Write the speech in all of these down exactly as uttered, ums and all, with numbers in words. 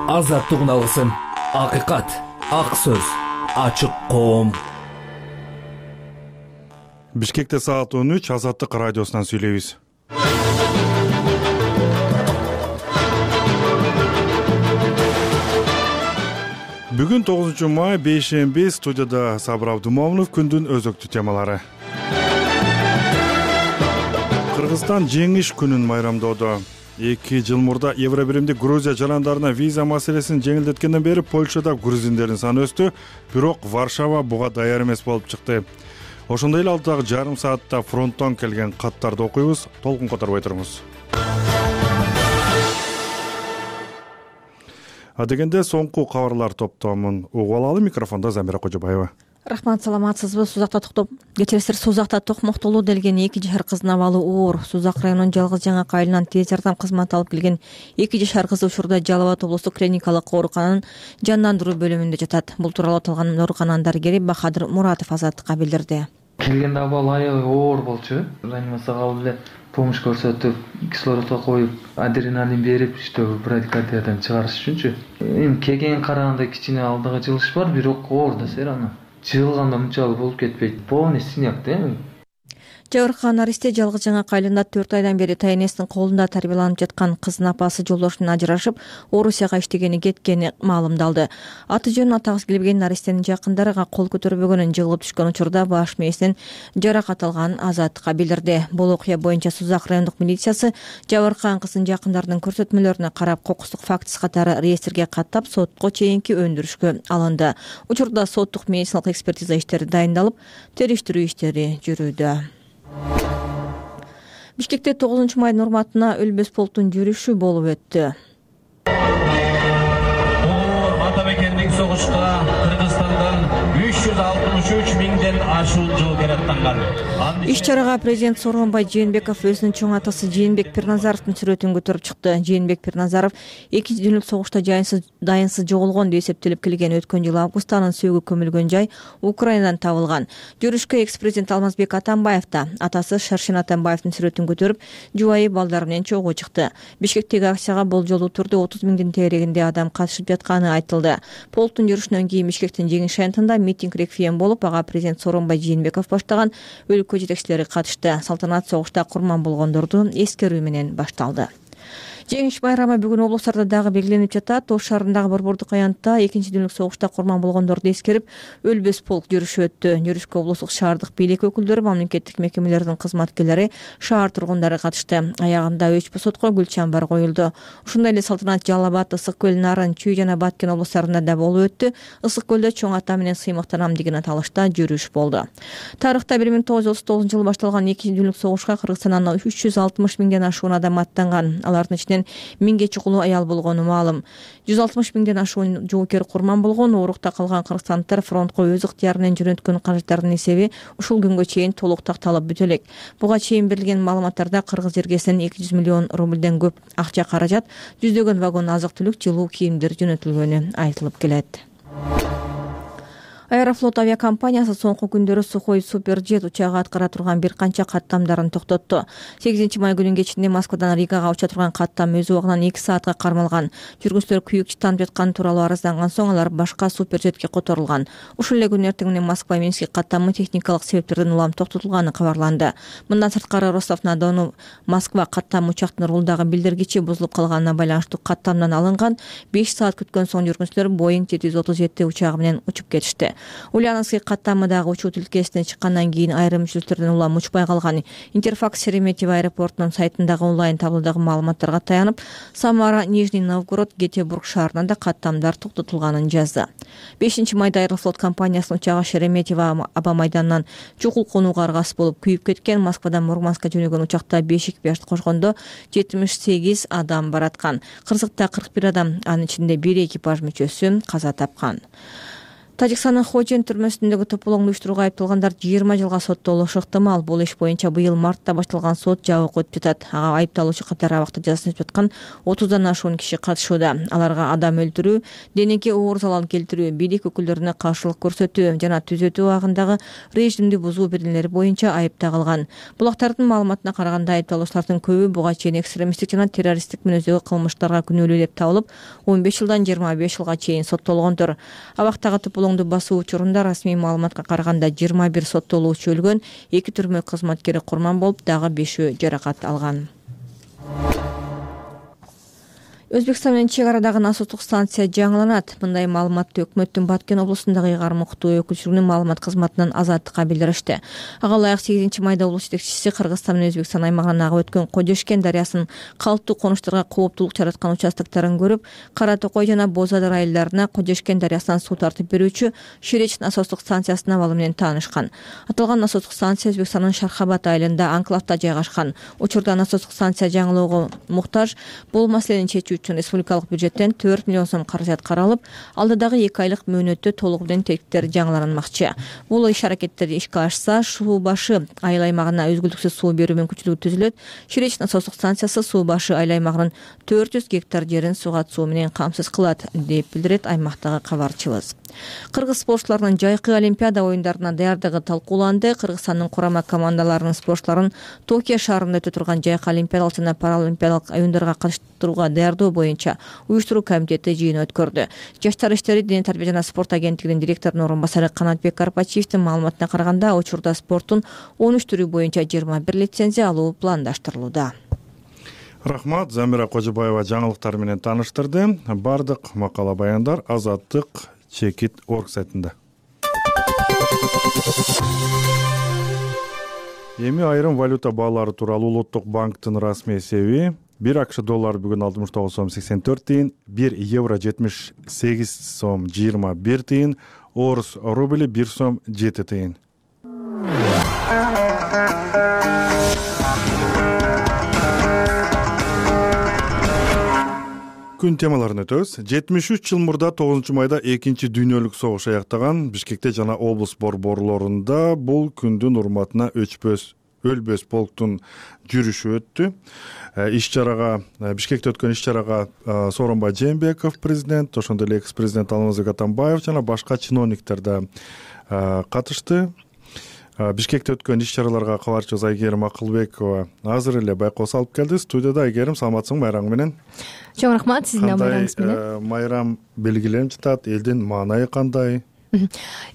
азаттыгын алгысың. Акыйкат, ак сөз, ачык коом. Бишкекте саат он үч, Азаттык радиосунан сүйлөйбүз. Бүгүн тогузунчу май, бейшемби, студияда Сабыр Абдумомунов. Күндүн өзөктүү темалары. Кыргызстан жеңиш күнүн майрамдоодо. Эки жыл мурда Евробиримдик Грузия жарандарына виза маселесин жеңилдеткенден бери Польшада грузиндердин саны өстү, бирок Варшава буга даяр эмес болуп чыкты. Ошондой эле алдыдагы жарым саатта фронттон келген каттарды окуйбуз, толкун которбой туруңуз. Адегенде соңку кабарлар топтомун угуп алалы. Микрофондо Замира Кожобаева. Рахмат, саламатсызбы? Сузакта токтоп кечиресиздер. Сузакта токмоктолуу делген эки жашар кыздын абалы оор. Сузак районунун Жалгыз Жаңак айылынан тез жардам кызматы алып келген эки жашар кыз учурда Жалал Абад облустук клиникалык оорукананын жандандыруу бөлүмүндө жатат. Бул тууралуу аталган оорукананын дарыгери Бахадыр Муратов Азаттыкка билдирди. Келгенде абалы аябай оор болчу. Реанимацияга алып эле помощь көрсөтүп, кислородго коюп, адреналин берип, иштөө брадикардиядан чыгарыш үчүнчү. Эми келген караганда кичине алдыгы жылыш бар, бирок оор да сер аны. Жылганда мынчалык болуп кетпейт. Полный синяк да эми. Жабыркаган наристе Жалгыз Жаңак айылында төрт айдан бери тайнесинин колунда тарбияланып жаткан кыздын апасы жолдошунан ажырашып, Орусияга иштегени кеткени маалымдалды. Аты жөнүн атагысы келбеген наристенин жакындарыга кол көтөрбөгөнүн жыгылып түшкөн учурда баш мээсинен жаракат алган Азаттыкка билдирди. Бул окуя боюнча Сузак райондук милициясы жабыркаган кыздын жакындарынын көрсөтмөлөрүнө карап, кокустук фактысы катары реестрге каттап, сотко чейинки өндүрүшкө алынды. Учурда соттук медициналык экспертиза иштери дайындалып, териштирүү иштери жүрүүдө. Бишкекте тогузунчу майдын урматына Өлбөс полктун жүрүшү болуп өттү. Ата мекендик согушка Кыргызстандан үч жүз алтымыш үч миңден ашуун жоокер аттанган. Иш-чарага президент Сооронбай Жээнбеков өзүнүн чоң атасы Жээнбек Пирназаровдун сүрөтүн көтөрүп чыкты. Жээнбек Пирназаров экинчи дүйнөлүк согушта жайынсыз дайынсыз жоголгон деп эсептелип келген. Өткөн жылы августта анын сөөгү көмүлгөн жай Украинадан табылган. Жүрүшкө экс-президент Алмазбек Атамбаев да атасы Шаршен Атамбаевдин сүрөтүн көтөрүп, жубайы балдары менен чогуу чыкты. Бишкектеги акцияга болжолдуу түрдө отуз миңдин тегерегинде адам катышып жатканы айтылды. Полктун жүрүшүнөн кийин Бишкектин жеңиш аянтында митинг реквием болуп, ага президент Сооронбай Жээнбеков баштаган өлкө жетекчилери катышты. Салтанат согушта курман болгондорду эскерүү менен башталды. Жеңиш байрамы бүгүн облустарда дагы белгиленип жатат. Ош шаарындагы Борбордук аянтта экинчи дүйнөлүк согушта курман болгондорду эскерип, Өлбөс полк жүрүшү өттү. Жүрүшкө облустук шаардык бийлик өкүлдөрү, мамлекеттик мекемелердин кызматкерлери, шаар тургундары катышты. Аягында Өч Босотко гүл чамбар коюлду. Ошондой эле салтанат Жалал Абад, Ысык көл, Нарын, Чүй жана Баткен облустарында да болуп өттү. Ысык көлдө чоң ата менен сыймыктанам деген аталышта жүрүш болду. Тарыхта бир миң тогуз жүз отуз тогузунчу жылы башталган экинчи дүйнөлүк согушка Кыргызстандан үч жүз алтымыш миңден ашуун адам аттанган. Алардын ичинен миңге чукулуу аял болгону маалым. жүз алтымыш миңден ашуун жоокер курман болгон. Оорукта калган кыргызстандыктар фронтко өз ыктыяры менен жөнөткөн каражаттардын эсеби ушул күнгө чейин толук такталып бүтө элек. Буга чейин берилген маалыматтарда кыргыз жергесинен эки жүз миллион рубльден көп акча каражат, жүздөгөн вагон азык-түлүк, жылуу кийимдер жөнөтүлгөнү айтылып келет. Аэрофлот авиакомпаниясы соңку күндөрү Сухой Суперджет учагы аткара турган бир канча каттамдарын токтотту. сегизинчи май күнүнүн кечинде Москвадан Ригага уча турган каттам өз убагынан эки саатка кармалган. Жүргүнчүлөр күйүк чыттанып жатканы тууралуу арызданган соң алар башка Суперджетке которулган. Ушул эле күнү эртең менен Москва Минск каттамы техникалык себептерден улам токтотулганы кабарланды. Мындан сырткары Ростов-на-Дону Москва каттам учактын рулдагы билдиргичи бузулуп калганына байланыштуу каттамдан алынган. беш саат күткөн соң жүргүнчүлөр Боинг жети жүз отуз жети учагы менен учуп кетишти. Ульяновский каттамыдагы учуу тилкесине чыккандан кийин айрым мүчөлдөрдөн улам учпай калган. Интерфакс Шереметьево аэропортунун сайтындагы онлайн таблодогу маалыматтарга таянып, Самара, Нижний Новгород, Гетебург шаарынан да каттамдар токтотулганын жазды. бешинчи майда Аэрофлот компаниясынын учагы Шереметьево аба майданынан чукул конууга аргасыз болуп күйүп кеткен. Москвадан Мурманскка жөнөгөн учакта беш экипаж кошкондо жетимиш сегиз адам бараткан. Кырсыкта кырк бир адам, анын ичинде бир экипаж мүчөсү каза тапкан. Тажикстандын Хочен түрмөсүндөгү тополоңду уюштурууга айыпталгандар жыйырма жылга соттолушу ыктымал. Бул иш боюнча быйыл мартта башталган сот жабык өтүп жатат. Ага айыпталуучу катары абакта жазасын өтүп аткан отуздан ашуун киши катышууда. Аларга адам өлтүрүү, денеге оор залал келтирүү, бийлик өкүлдөрүнө каршылык көрсөтүү жана түзөтүү абагындагы режимди бузуу беренелери боюнча айып тагылган. Булактардын маалыматына караганда айыпталуучулардын көбү буга чейин экстремисттик жана террористтик мүнөздөгү кылмыштарга күнөөлүү деп табылып, он беш жылдан жыйырма беш жылга чейин соттолгондор. Абактагы тополоңду басуу учурунда расмий маалыматка караганда жыйырма бир соттолуучу өлгөн, эки түрмө кызматкери курман болуп, дагы бешөө жаракат алган. Өзбекстан менен чек арадагы насостук станция жаңыланат. Мындай маалыматты өкмөттүн Баткен облусундагы ыйгарым уктуу өкүлчүлүгүнүн маалымат кызматынан Азаттыкка билдиришти. Ага ылайык сегизинчи майда облус жетекчиси Кыргызстан менен Өзбекстан аймагынан агып өткөн Кожешкен дарыясынын калыптуу конуштарга кооптулук жараткан участокторун көрүп, Кара Токой жана Боз Ада райларына Кожешкен дарыясынан суу тартып берүүчү Ширеч насостук станциясынын абалы менен таанышкан. Аталган насостук станция Өзбекстандын Шархабад айылында анклавда жайгашкан. Учурда насостук станция жаңылоого муктаж. Бул маселени чечүү үчүн республикалык бюджеттен төрт миллион сом каражат каралып, алдыдагы эки айлык мөөнөттө толук тектер жаңыланмакчы. Бул иш-аракеттер ишке ашса, Суу башы айыл аймагына өзгүлтүксүз суу берүү мүмкүнчүлүгү түзүлөт. Ширеч насостук станциясы Суу башы айыл аймагынын төрт жүз гектар жерин сууга суу менен камсыз кылат, деп билдирет аймактагы кабарчыбыз. Кыргыз спортчуларынын жайкы Олимпиада оюндарына даярдыгы талкууланды. Кыргызстандын курама командаларынын спортчуларын Токио шаарында өтө турган жайкы олимпиадалык жана паралимпиадалык оюндарга катыштырууга даярдоо боюнча уюштуруу комитети жыйын өткөрдү. Жаштар иштери, дене тарбия жана спорт агенттигинин директорунун орун басары Канатбек Карпачиевдин маалыматына караганда, учурда спорттун он үч түрү боюнча жыйырма бир лицензия алуу пландаштырылууда. Рахмат, Замира Кожобаева жаңылыктар менен тааныштырды. Бардык макала баяндар Азаттык чекит орг сайтында. Эми айрым валюта баалары тууралуу Улуттук банктын расмий эсеби: бир акш доллары бүгүн алтымыш тогуз сом сексен төрт тыйын, бир евро жетимиш сегиз сом жыйырма бир тыйын, орус рубли бир сом жети тыйын. Күн темаларын өтөбүз. жетимиш үч жыл мурда тогузунчу майда экинчи дүйнөлүк согуш аяктаган Бишкекте жана облус борборлорунда бул күндүн урматына өчпөс өлбөс полктун жүрүшү өттү. Иш-чарага, Бишкекте өткөн иш-чарага Сооронбай Жээнбеков президент, ошондой эле экс-президент Алмазбек Атамбаев жана башка чиновниктер да катышты. Бишкекте өткөн иш-чараларга кабарчыбыз Айгерим Акылбекова азыр эле байкоос алып келди. Студияда Айгерим, саламатсыңбы? Майрамың менен. Чоң рахмат, сиздин майрамыңыз менен. Кандай майрам белгиленип жатат? Элдин маанайы кандай?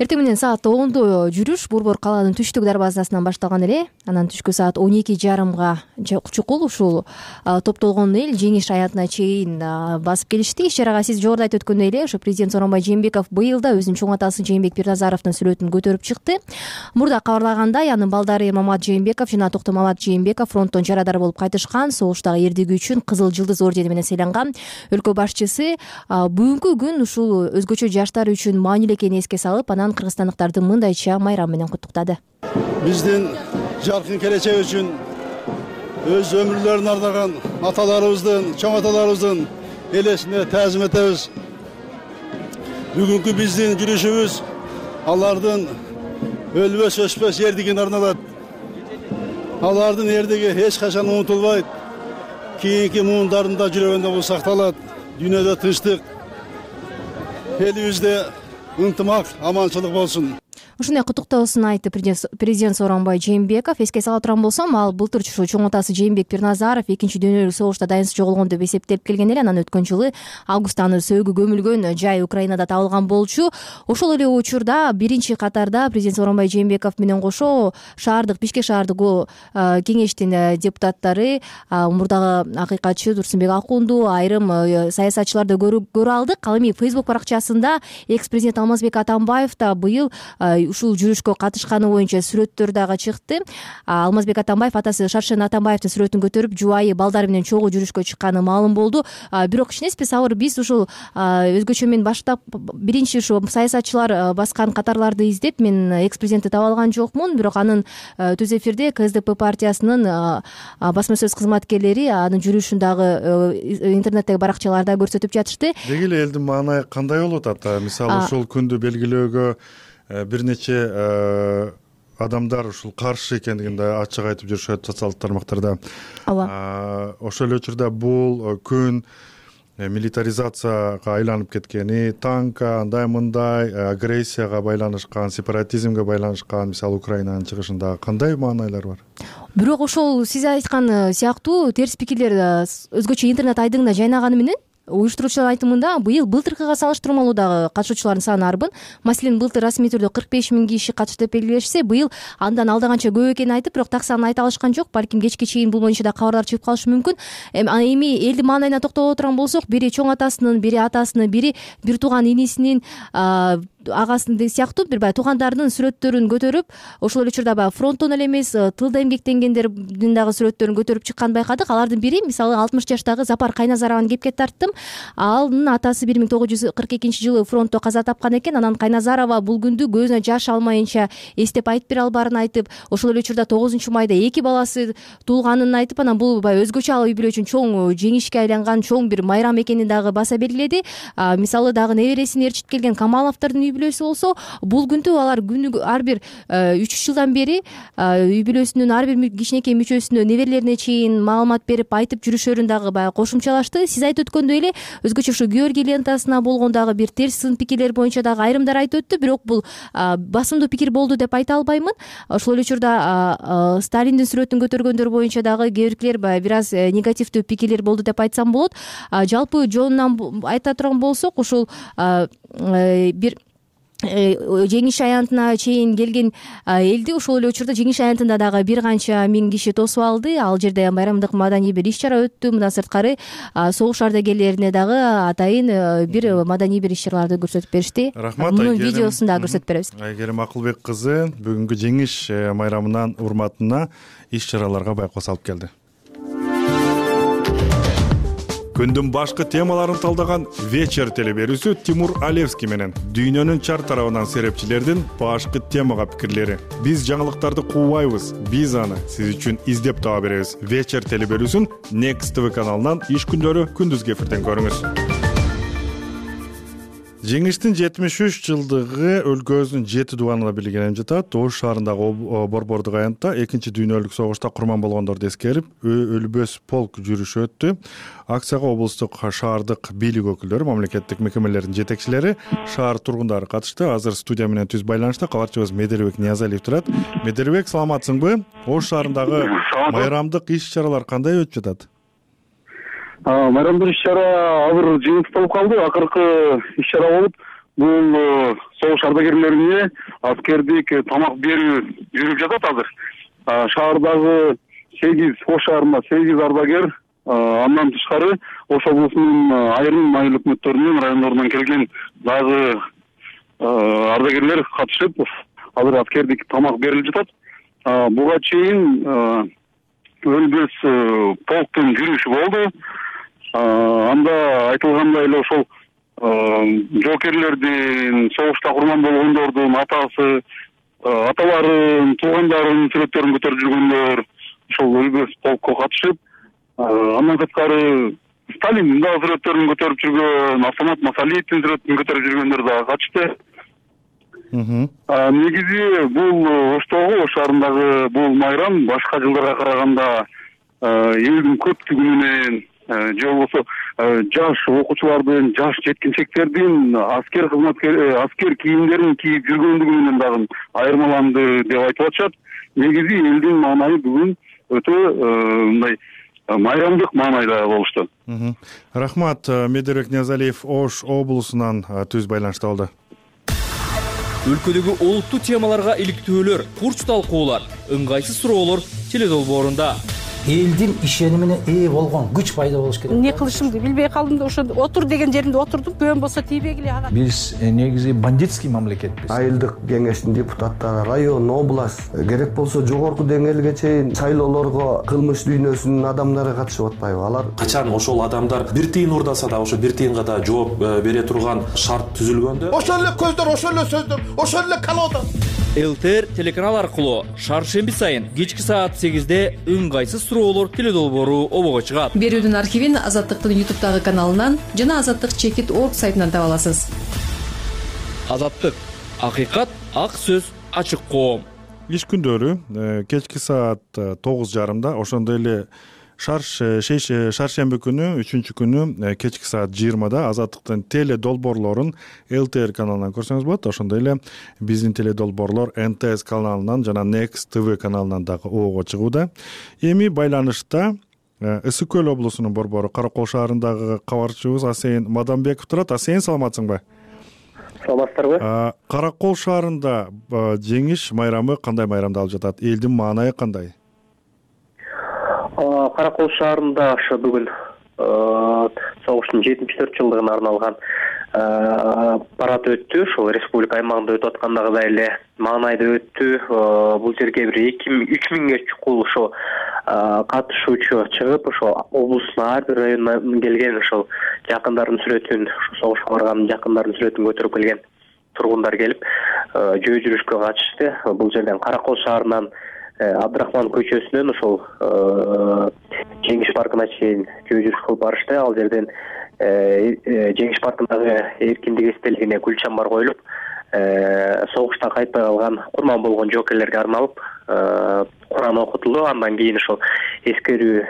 Эртең менен саат ондо жүрүш Борбор калаанын түштүк дарбазасынан башталган эле. Анан түшкү саат он эки жарымга чукул ушул топтолгон эл жеңиш аятына чейин басып келишти. Иш-чарага сиз жогоруда айтып өткөндөй эле, ошо президент Сооронбай Жээнбеков быйыл да өзүнүн чоң атасы Жээнбек Пирназаровдун сүрөтүн көтөрүп чыкты. Мурда кабарлагандай, анын балдары Мамат Жээнбеков жана Токтомамат Жээнбеков фронттон жарадар болуп кайтышкан, согуштагы эрдиги үчүн Кызыл Жылдыз ордени менен сыйланган. Өлкө башчысы бүгүнкү күн ушул өзгөчө жаштар үчүн маанилүү экенин эске салып, анан кыргызстандыктарды мындайча майрам менен куттуктады. Биздин жаркын келечек үчүн өз өмүрлөрүн ардаган аталарыбыздын, чоң аталарыбыздын элесине таазим этебиз. Бүгүнкү биздин жүрүшүбүз алардын өлбөс өчпөс эрдигине арналат. Алардын эрдиги эч качан унутулбайт. Кийинки муундарында жүрөгүндө бул сакталат. Дүйнөдө тынчтык, элибизде ынтымак, аманчылык болсун. Ушундай куттуктоосун айтты президент Сооронбай Жээнбеков. Эске сала турган болсом, ал былтыр ушул чоң атасы Жээнбек Пирназаров экинчи дүйнөлүк согушта дайынсыз жоголгон деп эсептелип келген эле. Анан өткөн жылы августта аны сөөгү көмүлгөн жай Украинада табылган болчу. Ошол эле учурда биринчи катарда президент Сооронбай Жээнбеков менен кошо шаардык Бишкек шаардык кеңештин депутаттары, мурдагы акыйкатчы Турсунбек Акунду, айрым саясатчыларды көрө алдык. Ал эми Facebook баракчасында экс-президент Алмазбек Атамбаев да быйыл ушул жүрүшкө катышканы боюнча сүрөттөр дагы чыкты. Алмазбек Атамбаев атасы Шаршен Атамбаевдин сүрөтүн көтөрүп, жубайы балдары менен чогуу жүрүшкө чыкканы маалым болду. Бирок кичинеспи Сабыр, биз ушул өзгөчө мен баштап биринчи ушу саясатчылар баскан катарларды издеп, мен экс-президентти таба алган жокмун, бирок анын түз эфирде КСДП партиясынын басма сөз кызматкерлери анын жүрүшүн дагы интернеттеги баракчаларда көрсөтүп жатышты. Деги эле элдин маанайы кандай болуп атат? Мисалы ушул күндү белгилөөгө бир нече адамдар ушул каршы экендигин да ачык айтып жүрүшөт социалдык тармактарда. Ооба. Ошол эле учурда бул күн милитаризацияга айланып кеткени, танка андай мындай агрессияга байланышкан, сепаратизмге байланышкан, мисалы Украинанын чыгышында кандай маанайлар бар? Бирок ошол сиз айткан сыяктуу терс пикирлер өзгөчө интернет айдыңына жайнаганы менен уюштуруучулардын айтымында быйыл былтыркыга салыштырмалуу дагы катышуучулардын саны арбын. Маселен, былтыр расмий түрдө кырк беш миң киши катышты деп белгилешсе, быйыл андан алда канча көп экенин айтып, бирок так санын айта алышкан жок. Балким кечке чейин бул боюнча да кабарлар чыгып калышы мүмкүн. Эми элдин маанайына токтоло турган болсок, бири чоң атасынын, бири атасынын, бири бир тууган инисинин, агасынын сыяктуу бир баягы туугандарынын сүрөттөрүн көтөрүп, ошол эле учурда баягы фронттон эле эмес, тылда эмгектенгендердин дагы сүрөттөрүн көтөрүп чыкканын байкадык. Алардын бири, мисалы, алтымыш жаштагы Запар Кайназарованы кепке тарттым. Анын атасы бир миң тогуз жүз кырк экинчи жылы фронтто каза тапкан экен. Анан Кайназарова бул күндү көзүнө жаш алмайынча эстеп айтып бере албаарын айтып, ошол эле учурда тогузунчу майда эки баласы туулганын айтып, анан бул баягы өзгөчө ал үй бүлө үчүн чоң жеңишке айланган чоң бир майрам экенин дагы баса белгиледи. Мисалы, дагы небересин ээрчитип келген Камаловдордун үй бүлөсү болсо, бул күндү алар күнү ар бир үч жылдан бери үй бүлөсүнүн ар бир кичинекей мүчөсүнө, неберелерине чейин маалымат берип айтып жүрүшөрүн дагы баягы кошумчалашты. Сиз айтып өткөндөй эле өзгөчө ушу Георгий лентасына болгон дагы бир терс сын пикирлер боюнча дагы айрымдар айтып өттү, бирок бул басымдуу пикир болду деп айта албаймын. Ошол эле учурда Сталиндин сүрөтүн көтөргөндөр боюнча дагы кээбиркилер баягы бир аз негативдүү пикирлер болду деп айтсам болот. Жалпы жонунан айта турган болсок, ушул бир жеңиш аянтына чейин келген элди ошол эле учурда жеңиш аянтында дагы бир канча миң киши тосуп алды. Ал жерде майрамдык маданий бир иш чара өттү. Мындан сырткары согуш ардагерлерине дагы атайын бир маданий бир иш чараларды көрсөтүп беришти. Рахмат. Мунун видеосун дагы көрсөтүп беребиз. Айгерим Акылбек кызы бүгүнкү жеңиш майрамынын урматына иш чараларга байкоос алып келди. Күндүн башкы темаларын талдаган вечер телеберүүсү Тимур Алевский менен дүйнөнүн чар тарабынан серепчилердин башкы темага пикирлери. Биз жаңылыктарды куубайбыз, биз аны сиз үчүн издеп таба беребиз. Вечер телеберүүсүн Next ти ви каналынан иш күндөрү күндүзгү эфирден көрүңүз. Жеңиштин жетимиш үч жылдыгы өлкөбүздүн жети дубанына белгиленип жатат. Ош шаарындагы Борбордук аянтта экинчи дүйнөлүк согушта курман болгондорду эскерип, өлбөс полк жүрүшү өттү. Акцияга облустук, шаардык бийлик өкүлдөрү, мамлекеттик мекемелердин жетекчилери, шаар тургундары катышты. Азыр студия менен түз байланышта кабарчыбыз Медербек Ниязалиев турат. Медербек, саламатсыңбы? Ош шаарындагы майрамдык иш чаралар кандай өтүп жатат? Майрамдык иш чара азыр жыйынтыкталып калды. Акыркы иш чара болуп, бул согуш ардагерлерине аскердик тамак берүү жүрүп жатат азыр. Шаардагы сегиз, Ош шаарында сегиз ардагер, андан тышкары Ош облусунун айрым айыл өкмөттөрүнөн, райондорунан келген дагы ардагерлер катышып, азыр аскердик тамак берилип жатат. Буга чейин өлбөс полктун жүрүшү болду. Анда айтылгандай эле ошол жоокерлердин, согушта курман болгондордун атасы, аталарын, туугандарынын сүрөттөрүн көтөрүп жүргөндөр ошол өлбөс полкко катышып, андан сырткары Сталиндин дагы сүрөттөрүн көтөрүп жүргөн, Автомат Масалиевдин сүрөтүн көтөрүп жүргөндөр дагы катышты. Негизи бул Оштогу, Ош шаарындагы бул майрам башка жылдарга караганда элдин көптүгү менен же болбосо жаш окуучулардын, жаш жеткинчектердин аскер кызматкер, аскер кийимдерин кийип жүргөндүгү менен дагы айырмаланды деп айтып атышат. Негизи элдин маанайы бүгүн өтө мындай майрамдык маанайда болушту. Рахмат. Медербек Ниязалиев Ош облусунан түз байланышта болду. Өлкөдөгү олуттуу темаларга иликтөөлөр, курч талкуулар, ыңгайсыз суроолор теледолбоорунда. элдин ишенимине ээ болгон күч пайда болуш керек. Эмне кылышымды билбей калдым да ошо отур деген жеримде отурдум. Көбөн болсо тийбегиле ага. Биз негизи бандитский мамлекетпиз. Айылдык кеңештин депутаттары, район, область, керек болсо жогорку деңгээлге чейин шайлоолорго кылмыш дүйнөсүнүн адамдары катышып атпайбы? Алар качан ошол адамдар бир тыйын урдаса да ошо бир тыйынга да жооп бере турган шарт түзүлгөндө ошол эле көздөр, ошол эле сөздөр, ошол эле колода. ЛТР телеканал аркылуу шаршемби сайын кечки саат сегизде ыңгайсыз суроолор теледолбоору обого чыгат. Берүүдүн архивин Азаттыктын ютубтагы каналынан жана азаттык чекит точка орг сайтынан таба аласыз. Азаттык, акыйкат, ак сөз, ачык коом. Иш күндөрү кечки саат тогуз жарымда, ошондой эле шаршемби күнү үчүнчү күнү кечки саат жыйырмада Азаттыктын теле долбоорлорун ЛТР каналынан көрсөңүз болот. Ошондой эле биздин теле долбоорлор эн тэ эс каналынан жана Next ти ви каналынан дагы обого чыгууда. Эми байланышта Ысык Көл облусунун борбору Каракол шаарындагы кабарчыбыз Асейин Мадамбеков турат. Асейин, саламатсыңбы? Саламатсыздарбы? Каракол шаарында жеңиш майрамы кандай майрамды алып жатат? Элдин маанайы кандай? Каракол шаарында ошо бүгүн согуштун жетимиш төрт жылдыгына арналган парад өттү. Ошол республика аймагында өтүп аткандагыдай эле маанайда өттү. Бул жерге бир эки үч миңге чукул ошо катышуучу чыгып, ошо облустун ар бир районунан келген, ошол жакындарынын сүрөтүн, согушка барган жакындарынын сүрөтүн көтөрүп келген тургундар келип, жөө жүрүшкө катышты. Бул жерден Каракол шаарынан Абдрахман көчөсүнөн ошол Жеңиш паркына чейин жөө жүрүш кылып барышты. Ал жерден Жеңиш паркындагы эркиндик эстелигине гүл чамбар коюлуп, согуштан кайтпай калган курман болгон жокерлерге арналып Куран окутулду. Андан кийин ошол эскерүү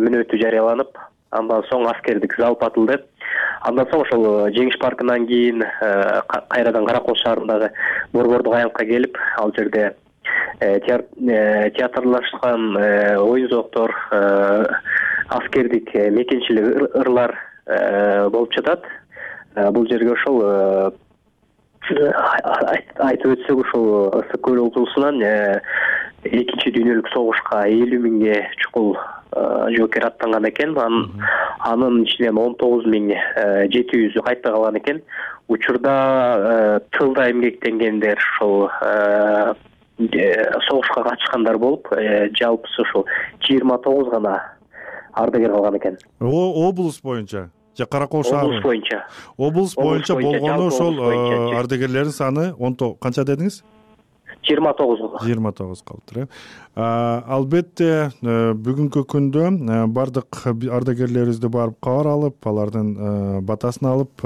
мүнөтү жарыяланып, андан соң аскердик залп атылды. Андан соң ошол Жеңиш паркынан кийин кайрадан Каракол шаарындагы борбордук аянтка келип, ал жерде театрлашкан оюн зооктор, аскердик мекенчилик ырлар болуп жатат. Бул жерге ошол айтып өтсөк, ошол Ысык Көл облусунан экинчи дүйнөлүк согушка элүү миңге чукул жокер аттанган экен. Анын ичинен он тогуз миң жети жүзү кайтпай калган экен. Учурда тылда эмгектенгендер, ошол согушка катышкандар болуп, жалпысы ушул жыйырма тогуз гана ардагер калган экен. Облус боюнча же Каракол шаары? Облус боюнча. Облус боюнча болгону ошол ардагерлердин саны канча дедиңиз? жыйырма тогуз. жыйырма тогуз калыптыр, э. Албетте бүгүнкү күндө бардык ардагерлерибизди барып кабар алып, алардын батасын алып,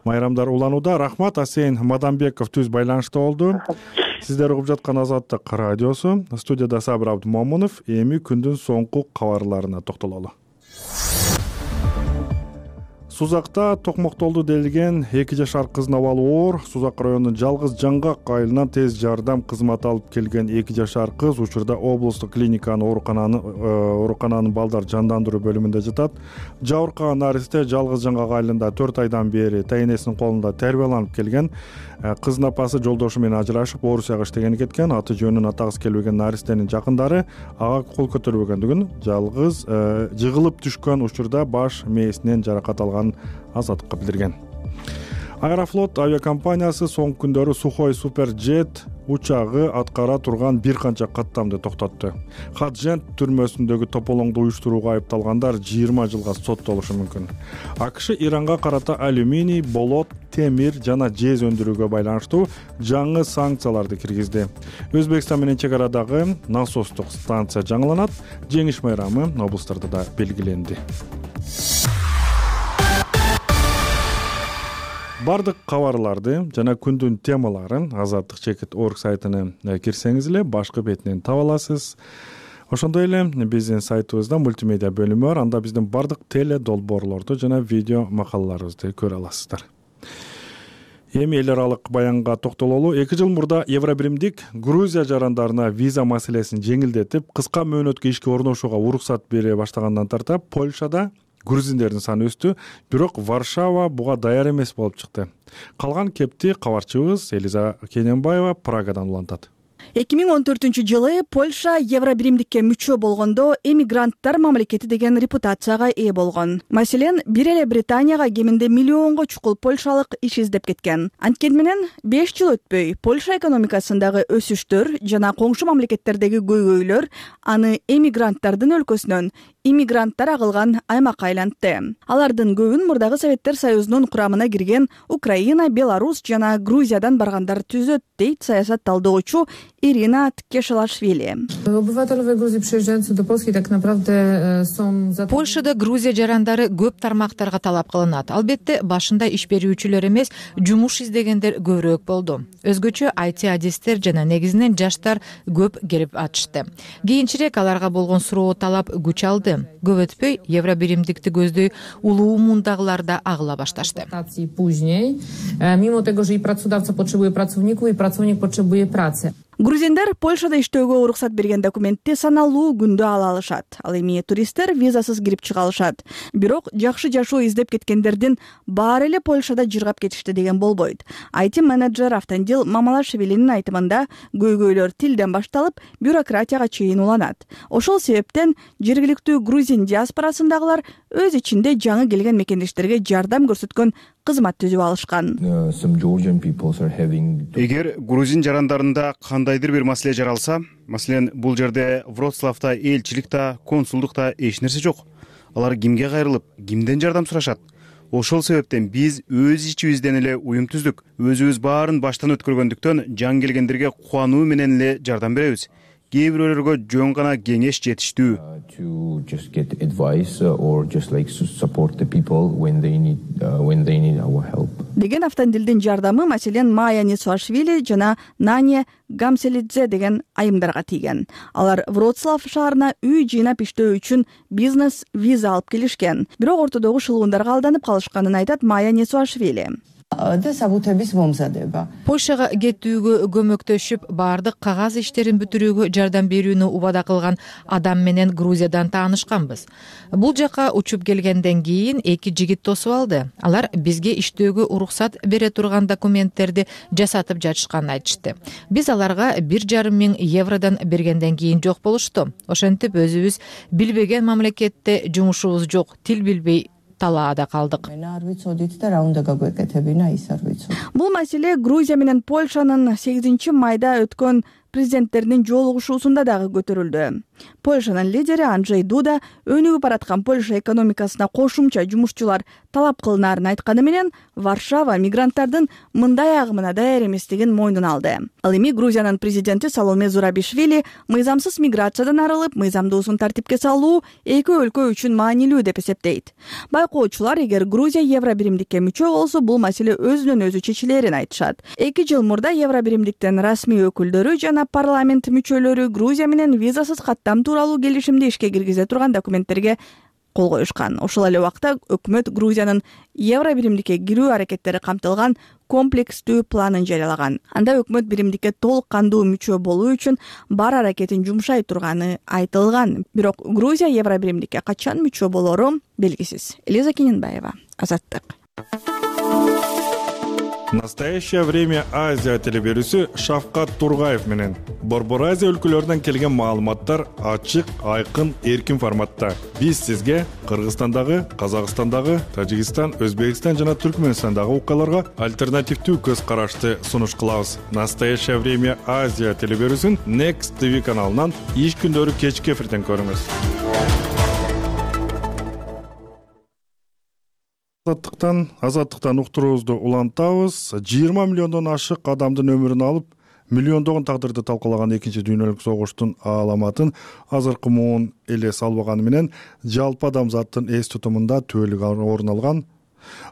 майрамдар уланууда. Рахмат, Асейин Мадамбеков түз байланышта болду. Сиздер угуп жаткан Азаттык радиосу. Студияда Сабыр Абдумомунов. Эми күндүн соңку кабарларына токтололу. Сузакта токмоктолду делген эки жашар кыздын абалы оор. Сузак районунун Жалгыз Жаңгак айылынан тез жардам кызматы алып келген эки жашар кыз учурда облустук клиниканын оорукананын оорукананын балдар жандандыруу бөлүмүндө жатат. Жабыркаган наристе Жалгыз Жаңгак айылында төрт айдан бери тайнесинин колунда тербияланып келген. Кыздын апасы жолдошу менен ажырашып, Орусияга иштегени кеткен. Аты жөнүн атагысы келбеген наристенин жакындары ага кол көтөрбөгөндүгүн, жалгыз жыгылып түшкөн учурда баш мээсинен жаракат алган Азаттыкка билдирген. Аэрофлот авиакомпаниясы соңку күндөрү Сухой Суперджет учагы аткара турган бир канча каттамды токтотту. Хаджент түрмөсүндөгү тополоңду уюштурууга айыпталгандар жыйырма жылга соттолушу мүмкүн. АКШ Иранга карата алюминий, болот, темир жана жез өндүрүүгө байланыштуу жаңы санкцияларды киргизди. Өзбекстан менен чек арадагы насостук станция жаңыланат. Жеңиш майрамы облустарда да белгиленди. Бардык кабарларды жана күндүн темаларын азаттык чекит точка орг сайтына кирсеңиз эле башкы бетинен таба аласыз. Ошондой эле биздин сайтыбызда мультимедиа бөлүмү бар. Анда биздин бардык теле долбоорлорду жана видео макалаларыбызды көрө аласыздар. Эми эл аралык баянга токтололу. эки жыл мурда Евробиримдик Грузия жарандарына виза маселесин жеңилдетип, кыска мөөнөткө ишке орношууга уруксат бере баштагандан тарта Польшада грузиндердин саны өстү, бирок Варшава буга даяр эмес болуп чыкты. Калган кепти кабарчыбыз Элиза Кененбаева Прагадан улантат. эки миң он төртүнчү жылы Польша Евробиримдикке мүчө болгондо эмигранттар мамлекети деген репутацияга ээ болгон. Маселен, бир эле Британияга кеминде миллионго чукул польшалык иш издеп кеткен. Анткени менен беш жыл өтпөй Польша экономикасындагы өсүштөр жана коңшу мамлекеттердеги көйгөйлөр аны эмигранттардын өлкөсүнөн иммигранттар агылган аймакка айлантты. Алардын көбүн мурдагы Советтер Союзунун курамына кирген Украина, Беларусь жана Грузиядан баргандар түзөт, дейт саясат талдоочу Ирина Ткешелашвили. Польшада Грузия жарандары көп тармактарга талап кылынат. Албетте, башында иш берүүчүлөр эмес, жумуш издегендер көбүрөөк болду. Өзгөчө ай ти адистер жана негизинен жаштар көп келип атышты. Кийинчерээк аларга болгон суроо талап күч алды. Көп өтпөй Евробиримдикти көздөй улуу мундагылар да агыла башташты. Mimo tego, że i pracodawca potrzebuje pracowników, i pracownik potrzebuje pracy. Грузиндар Польшада иштөөгө уруксат берген документти саналуу күндө ала алышат. Ал эми туристтер визасыз кирип чыга алышат. Бирок жакшы жашоо издеп кеткендердин баары эле Польшада жыргап кетишти деген болбойт. ай ти менеджер Автандил Мамалашвилинин айтымында көйгөйлөр тилден башталып, бюрократияга чейин уланат. Ошол себептен жергиликтүү грузин диаспорасындагылар өз ичинде жаңы келген мекендештерге жардам көрсөткөн кызмат түзүп алышкан. Эгер грузин жарандарында кандайдыр бир маселе жаралса, маселен, бул жерде Вроцлавда, элчиликте, консулдукта эч нерсе жок. Алар кимге кайрылып, кимден жардам сурашат? Ошол себептен биз өз ичибизден эле уюм түздүк. Өзүбүз баарын баштан өткөргөндүктөн жан келгендерге кубануу менен эле жардам беребиз. Кээ бирөөлөргө жөн гана кеңеш жетиштүү. Деген Автандилдин жардамы маселен Майя Несуашвили жана Нания Гамселидзе деген айымдарга тийген. Алар Вроцлав шаарына үй жыйнап иштөө үчүн бизнес виза алып келишкен. Бирок ортодогу шылуундарга алданып калышканын айтат Майя Несуашвили. Польшага кетүүгө көмөктөшүп, баардык кагаз иштерин бүтүрүүгө жардам берүүнү убада кылган адам менен Грузиядан таанышканбыз. Бул жака учуп келгенден кийин эки жигит тосуп алды. Алар бизге иштөөгө уруксат бере турган документтерди жасатып жатышканын айтышты. Биз аларга бир жарым миң евродон бергенден кийин жок болушту. Ошентип өзүбүз билбеген мамлекетте жумушубуз жок, тил билбей талаада калдык. Бул маселе Грузия менен Польшанын сегизинчи майда өткөн президенттеринин жолугушуусунда дагы көтөрүлдү. Польшанын лидери Анджей Дуда өнүгүп бараткан Польша экономикасына кошумча жумушчулар талап кылынаарын айтканы менен Варшава мигранттардын мындай агымына даяр эместигин мойнуна алды. Ал эми Грузиянын президенти Саломе Зурабишвили мыйзамсыз миграциядан арылып, мыйзамдуусун тартипке салуу эки өлкө үчүн маанилүү деп эсептейт. Байкоочулар, эгер Грузия Евробиримдикке мүчө болсо, бул маселе өзүнөн өзү чечилерин айтышат. эки жыл мурда Евробиримдиктен расмий өкүлдөрү жана парламент мүчөлөрү Грузия менен визасыз каттам тууралуу келишимди ишке киргизе турган документтерге кол коюшкан. Ошол эле убакта өкмөт Грузиянын Евробиримдикке кирүү аракеттери камтылган комплекстүү планын жарыялаган. Анда өкмөт биримдикке толук кандуу мүчө болуу үчүн бар аракетин жумшай турганы айтылган. Бирок Грузия Евробиримдикке качан мүчө болору белгисиз. Элиза Кененбаева, Азаттык. Настоящее время Азия телеберүүсү Шавкат Тургаев менен Борбор Азия өлкөлөрүнөн келген маалыматтар ачык, айкын, эркин форматта. Биз сизге Кыргызстандагы, Казакстандагы, Тажикстан, Өзбекстан жана Түркмөнстандагы окуяларга альтернативдүү көз карашты сунуш кылабыз. Настоящее время Азия телеберүүсүн Next ти ви каналынан иш күндөрү кечки эфирден көрүңүз. Азаттыктан, азаттыктан уктуруубузду улантабыз. жыйырма миллиондон ашык адамдын өмүрүн алып, миллиондогон тагдырды талкалаган экинчи дүйнөлүк согуштун аламатын азыркы муун эле салбаганы менен жалпы адамзаттын эс тутумунда түбөлүк орун алган.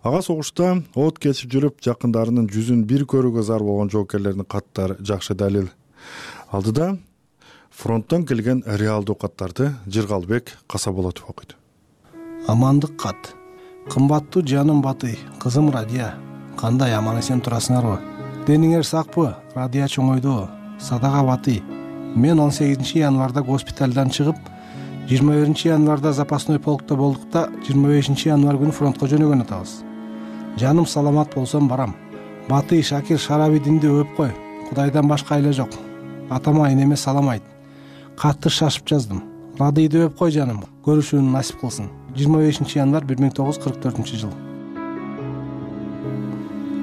Ага согушта от кечип жүрүп, жакындарынын жүзүн бир көрүүгө зар болгон жоокерлердин каттары жакшы далил. Алдыда фронттон келген реалдуу каттарды Жыргалбек Касаболотов окуйт. Амандык кат. Кымбаттуу жаным Батый, кызым Радия, кандай аман эсен турасыңарбы? Дениңер сакпы? Радия чоңойду. Садага Батый. Мен он сегизинчи январда госпиталдан чыгып, жыйырма биринчи январда запасной полкто болдук да, жыйырма бешинчи январ күнү фронтко жөнөгөн атабыз. Жаным саламат болсом барам. Батый, Шакир Шарабидинди өп кой. Кудайдан башка эле жок. атама энеме салам айт. Катты шашып жаздым. Радийди өп кой жаным, көрүшүүнү насип кылсын. жыйырма бешинчи январь бир миң тогуз жүз кырк төртүнчү жыл.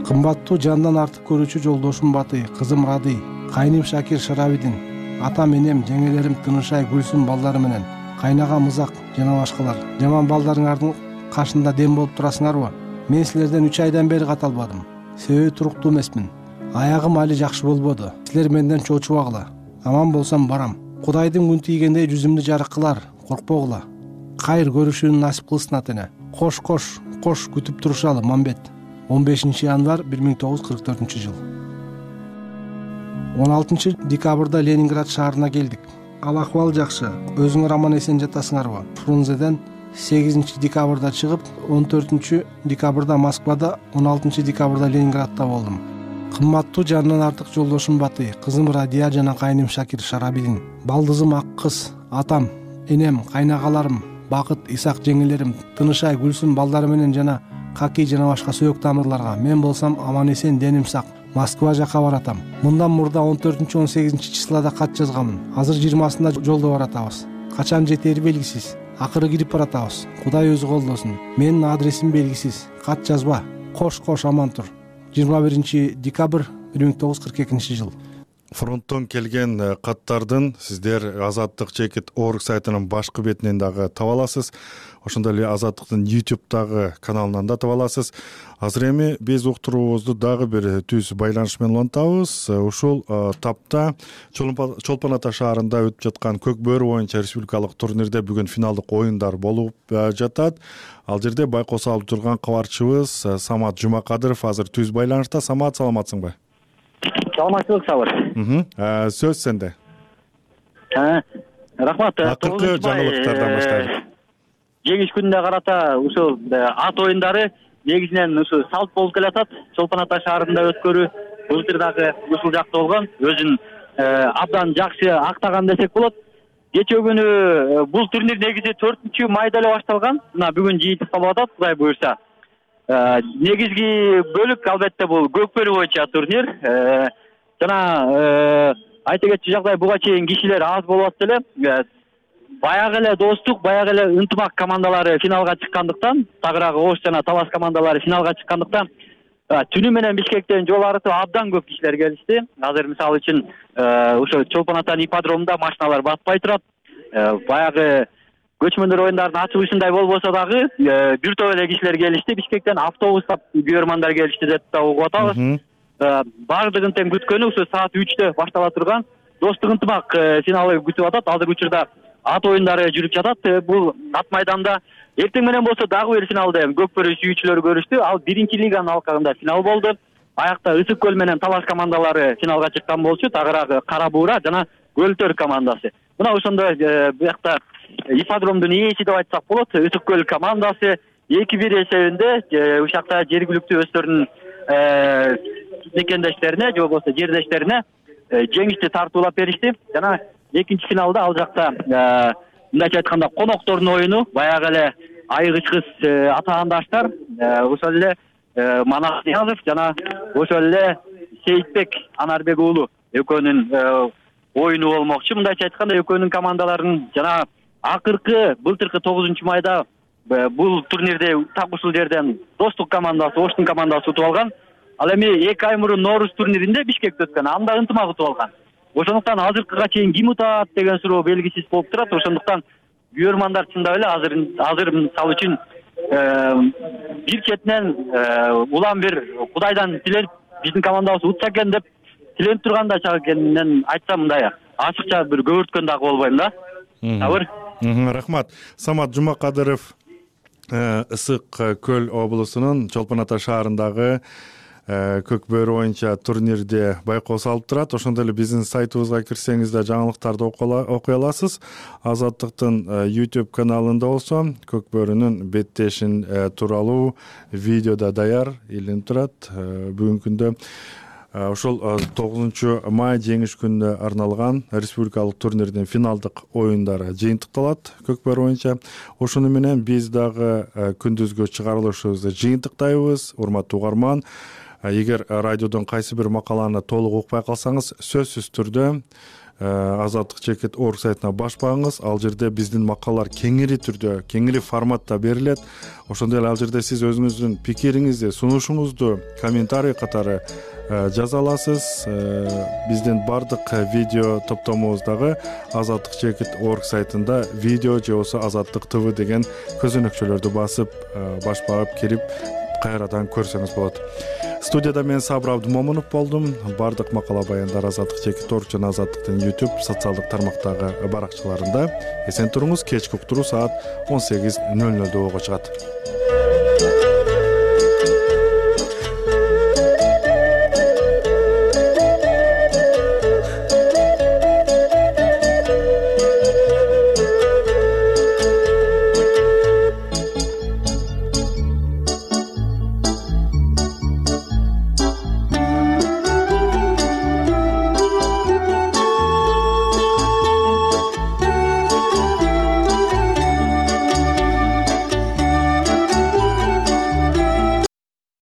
Кымбаттуу жандан артык көрүүчү жолдошум Батый, кызым Радый, кайным Шакир Шарабидин, атам энем, жеңелерим Тынышай, Гүлсүм балдары менен, кайнага Мызак жана башкалар. Жаман балдарыңардын кашында дем болуп турасыңарбы? Мен силерден үч айдан бери кат албадым. Себеби туруктуу эмесмин. Аягым али жакшы болбоду. Силер менден чочубагыла. Аман болсам барам. Кудайдын күн тийгендей жүзүмдү жарык кылар, коркпогула. Кайыр көрүшүүнү насип кылсын атене. Кош кош, кош күтүп турушалы Мамбет. он бешинчи январь бир миң тогуз жүз кырк төртүнчү жыл. он алтынчы декабрда Ленинград шаарына келдик. Ал акыбал жакшы. Өзүңөр аман эсен жатасыңарбы? Фрунзеден сегизинчи декабрда чыгып, он төртүнчү декабрда Москвада, он алтынчы декабрда Ленинградда болдум. Кымбаттуу жандан артык жолдошум Батый, кызым Радия жана кайным Шакир Шарабидин, балдызым Ак кыз, атам, энем, кайнагаларым, Бакыт, Исак жеңелерим, Тынышай, Гүлсүм балдары менен жана Каки жана башка сөөк тамырларга. Мен болсам аман эсен, деним сак, Москва жака баратам. Мындан мурда он төртүнчү он сегизинчи числода кат жазганмын. Азыр жыйырмасында жолдо баратабыз. Качан жетери белгисиз. Акыры кирип баратабыз. Кудай өзү колдосун. Менин адресим белгисиз. Кат жазба. Кош кош аман тур. жыйырма биринчи декабрь бир миң тогуз жүз кырк экинчи жыл. Фронттон келген каттардын сиздер Азаттык чекит орг сайтынын башкы бетинен дагы таба аласыз. Ошондой эле Азаттыктын YouTube-дагы каналынан да таба аласыз. Азыр эми биз уктуруубузду дагы бир түз байланыш менен улантабыз. Ушул тапта Чолпон Ата шаарында өтүп жаткан Көк бөөрү боюнча республикалык турнирде бүгүн финалдык оюндар болуп жатат. Ал жерде байкоос алып турган кабарчыбыз Самат Жумакадыров азыр түз байланышта. Самат, саламатсыңбы? Саламатчылык, Сабыр. Сөз сенде. Рахмат. Акыркы жаңылыктардан баштайлы. Жеңиш күнүнө карата ушул ат оюндары негизинен ушу салт болуп келатат. Чолпон Ата шаарында өткөрүү былтыр дагы ушул жакта болгон, өзүн абдан жакшы актаган десек болот. Кечээ күнү бул турнир негизи төртүнчү майда эле башталган. Мына бүгүн жыйынтык болуп атат, Кудай буйрса. Негизги бөлүк албетте бул көк бөөрү боюнча турнир. Жана айта кетчү жагдай буга чейин кишилер аз болуп атты эле. Баягы эле достук, баягы эле ынтымак командалары финалга чыккандыктан, тагыраагы Ош жана Талас командалары финалга чыккандыктан, түнү менен Бишкектен жол арытып абдан көп кишилер келишти. Азыр мисалы үчүн ошо Чолпон Атанын ипподромунда машиналар батпай турат. Баягы көчмөндөр оюндардын ачылышындай болбосо дагы бир топ эле кишилер келишти. Бишкектен автобустап көрөрмандар келишти деп да угуп атабыз. Бардыгын тең күткөнү ушу саат үчтө баштала турган достук ынтымак финалы күтүп атат. Азыр учурда ат оюндары жүрүп жатат. Бул ат майданда эртең менен болсо дагы бир финалда көк бөөрү сүйүүчүлөрү көрүштү. Ал биринчи лиганын алкагында финал болду. Аякта Ысык көл менен Талас командалары финалга чыккан болчу. Тагыраагы Кара буура жана Көлтөр командасы. Мына ошондой буякта ипподромдун ээси деп айтсак болот. Ысык көл командасы эки бир эсебинде ушул жакта жергиликтүү өздөрүнүн мекендештерине же болбосо жердештерине жеңишти тартуулап беришти. Жана экинчи финалда ал жакта мындайча айтканда коноктордун оюну, баягы эле айгыч кыз атаандаштар, ошол эле Манас Ниязов жана ошол эле Сейитбек Анарбек уулу экөөнүн оюну болмокчу. Мындайча айтканда экөөнүн командаларынын жана акыркы былтыркы тогузунчу майда бул турнирде так ушул жерден достук командасы, Оштун командасы утуп алган. Ал эми эки ай мурун Нооруз турниринде Бишкекте өткөн, анда ынтымак утуп алган. Ошондуктан азыркыга чейин ким утат деген суроо белгисиз болуп турат. Ошондуктан көрөрмандар чындап эле азыр азыр мисалы үчүн бир четинен улам бир Кудайдан тиленип биздин командабыз утса экен деп тиленип турганда чак экенин айтсам, мындай ачыкча бир көгөрткөн дагы болбойм да. Сабыр. Рахмат. Самат Жумакадыров Ысык көл облусунун Чолпон Ата шаарындагы көк бөөрү боюнча турнирде байкоос алып турат. Ошондой эле биздин сайтыбызга кирсеңиз да жаңылыктарды окуй аласыз. Азаттыктын YouTube каналында болсо көк бөөрүнүн беттешин тууралуу видео да даяр илинип турат. Бүгүнкү күндө ошол тогузунчу май жеңиш күнүнө арналган республикалык турнирдин финалдык оюндары жыйынтыкталат көк бөөрү боюнча. Ошону менен биз дагы күндүзгү чыгарылышыбызды жыйынтыктайбыз. Урматтуу угарман, эгер радиодон кайсы бир макаланы толук укпай калсаңыз сөзсүз түрдө азаттык чекит орг сайтына баш багыңыз. Ал жерде биздин макалалар кеңири түрдө, кеңири форматта берилет. Ошондой эле ал жерде сиз өзүңүздүн пикириңизди, сунушуңузду комментарий катары жаза аласыз. Биздин бардык видео топтомубуз дагы азаттык чекит орг сайтында видео же болбосо азаттык тв деген көзөнөкчөлөрдү басып, баш багып кирип кайрадан көрсөңүз болот. Студияда мен Сабыр Абдумомунов болдум. Бардык макала баяндар азаттык чекит орг жана азаттыктын YouTube социалдык тармактагы баракчаларында. Эсен туруңуз. Кечки уктуруу саат он сегиз нөл нөлдө болго чыгат.